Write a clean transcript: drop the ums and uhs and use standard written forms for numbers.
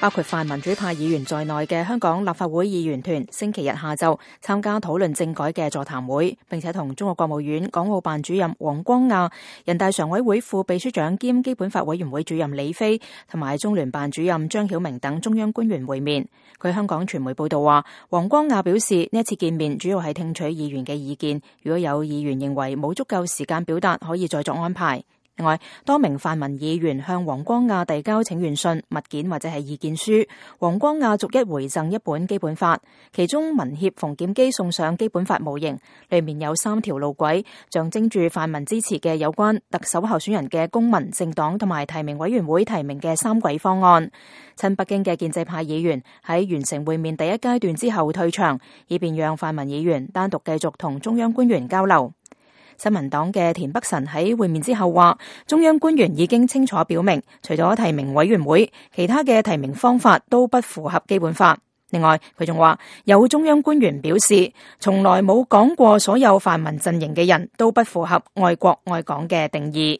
包括泛民主派議員在內嘅香港立法會議員團星期日下晝參加討論政改嘅座談會，並且同中國國務院港澳辦主任王光亞、人大常委會副秘書長兼基本法委員會主任李飛同埋中聯辦主任張曉明等中央官員會面。據香港傳媒報道話，王光亞表示呢一次見面主要係聽取議員嘅意見，如果有議員認為冇足夠時間表達，可以再作安排。另外，多名泛民議員向王光亞遞交請願信、物件或者係意見書，王光亞逐一回贈一本基本法，其中民協馮檢基送上基本法模型，裏面有3條路軌，象徵住泛民支持嘅有關特首候選人嘅公民、政黨同埋提名委員會提名嘅3軌方案。親北京嘅建制派議員喺完成會面第一階段之後退場，以便讓泛民議員單獨繼續同中央官員交流。新民黨嘅田北辰喺會面之後話，中央官員已經清楚表明，除咗提名委員會，其他嘅提名方法都不符合基本法。另外，佢仲話有中央官員表示，從來冇講過所有泛民陣營嘅人都不符合愛國愛港嘅定義。